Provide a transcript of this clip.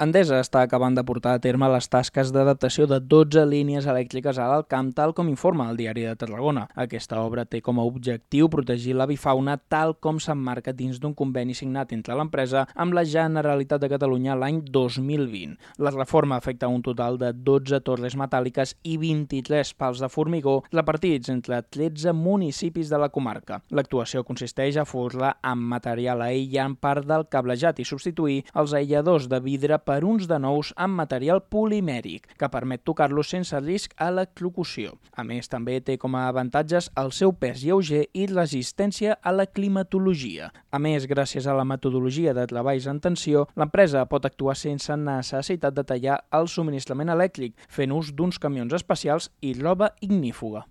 Endesa està acabant de portar a terme les tasques d'adaptació de 12 línies elèctriques a l'Alt Camp, tal com informa el Diari de Tarragona. Aquesta obra té com a objectiu protegir l'avifauna tal com s'emmarca dins d'un conveni signat entre l'empresa amb la Generalitat de Catalunya l'any 2020. La reforma afecta un total de 12 torres metàl·liques i 23 pals de formigó repartits entre 13 municipis de la comarca. L'actuació consisteix a forrar amb material aïllant part del cablejat i substituir els aïlladors de vidre per uns de nous amb material polimèric, que permet tocar-los sense risc a l'eclocució. A més, també té com a avantatges el seu pes lleuger i resistència a la climatologia. A més, gràcies a la metodologia de treballs en tensió, l'empresa pot actuar sense necessitat de tallar el subministrament elèctric, fent ús d'uns camions especials i roba ignífuga.